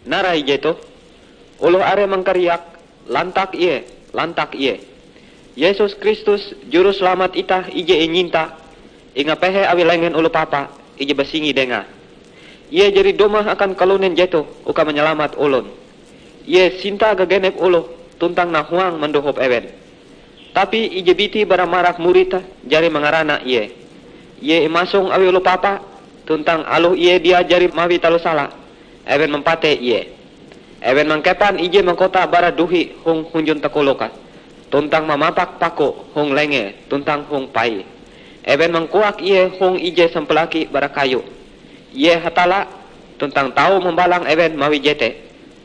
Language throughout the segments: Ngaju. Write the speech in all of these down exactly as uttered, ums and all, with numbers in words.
Narai jetoh, oloh are mangkariak, "Lantak Ie! Lantak Ie!" Yesus Kristus, Juruselamat itah ije inyinta, ingapehe awi lengen oloh papa ije basingi Dengae. Ie jari dumah akan kalunen jetoh uka manyalamat olon. Ie sinta gagenep oloh tuntang nahuang mandohop ewen. Tapi ije biti bara marak murid jari mangarana Ie. Ie imasong awi oloh papa, tuntang aloh Ie dia jari mawi taloh sala, ewen mampatei Ie. Ewen mangkepan ije mahkota bara duhi hong hunjun takoloke, tuntang mamapak pakue hong lengee tuntang hong paie. Ewen mangkoak Ie hong ije sampalaki bara kayu. Ie Hatalla, tuntang tau mambalang ewen mawi jete,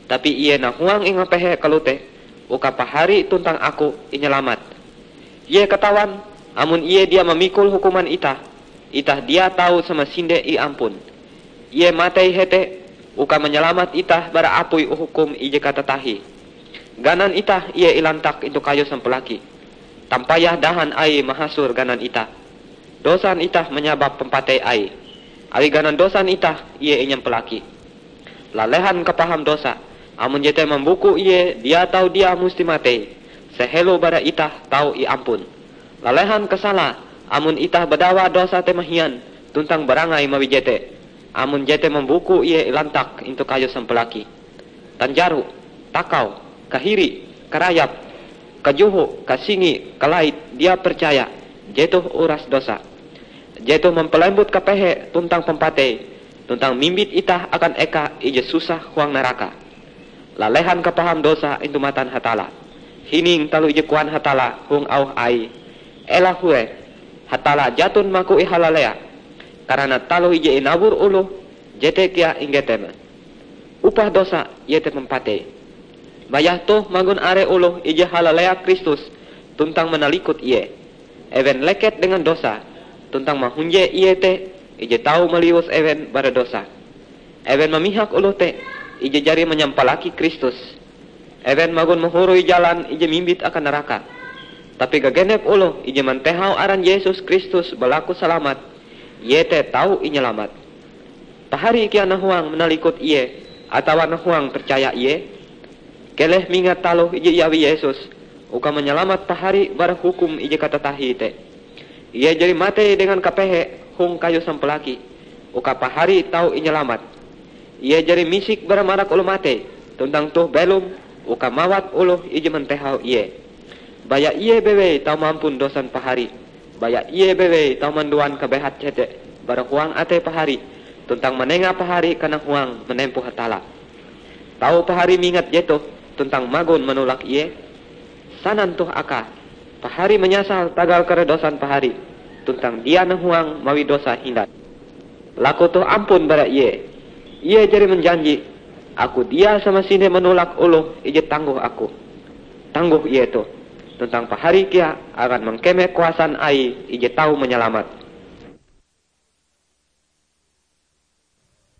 tapi Ie nahuang ingapehe kalote uka pahari tuntang aku inyalamat. Ie katawan, amon Ie dia mamikul hukuman itah, itah dia tau samasinde iampun. Ie matei hete uka manyalamat itah bara apui hukum ije katatahie. Ganan itah Ie ilantak intu kayu sampalaki. Tampayah dahan Aie mahasor ganan itah. Dosan itah manyabab pampatei Aie. Awi ganan dosan itah Ie inyampalaki. Lalehan kapaham dosa, amon jete mambuku Ie dia tau dia musti matei, sehelo bara itah tau iampun. Lalehan kasala, amon itah badawa dosa te mahian tuntang barangai mawi jete, amon jete mambuku Ie ilantak intu kayu sampalaki. Tanjaro, takau, kahiri, karayap, kajoho, kasingi, kalait, dia percaya, jetoh uras dosa. Jetoh mampalembut kapehe tuntang pampatei, tuntang mimbit itah akan eka ije susah huang naraka. Lalehan kapaham dosa intu matan Hatalla. Hining taloh ije koan Hatalla hong auh Aie, "Ela hue, Hatalla jaton maku ihalalea, karana taloh ije inawor oloh, jete kea inggeteme. Upah dosa iete pampatei." Baya toh magon are oloh ije halalea Kristus tuntang manalikut Ie. Ewen leket dengan dosa, tuntang mahunje Ie te ije tau maliwus ewen bara dosa. Ewen mamihak oloh te ije jari manyampalaki Kristus. Ewen magon mahoroi jalan ije mimbit akan naraka. Tapi gagenep oloh ije mantehau aran Yesus Kristus balaku salamat, ie te tau inyalamat. Pahari kea nahuang manalikut Ie atawa nahuang percaya Ie? Keleh mingat taloh ije iawi Yesus uka manyalamat pahari bara hukum ije katatahie te. Ie jari matei dengan kapehe hong kayu sampalaki, uka pahari tau inyalamat. Ie jari misik bara marak oloh matei, tuntang toh belom uka mawat oloh ije mantehau Ie. Baya Ie bewei tau mampun dosan pahari. Baya Ie bewei tau manduan kabehat jete bara huang atei pahari, tuntang manenga pahari kanahuang manempo Hatalla. Tau pahari mingat jetoh tuntang magon manolak Ie? Sanan toh akae, pahari manyasal tagal kare dosan pahari, tuntang dia nahuang mawi dosa hindai. Laku toh ampun bara Ie. Ie jari manjanji, "Aku dia samasinde manolak oloh ije tanggoh Aku." Tanggoh Ie toh, tuntang pahari kea akan mangkeme kuasan Aie ije tau manyalamat.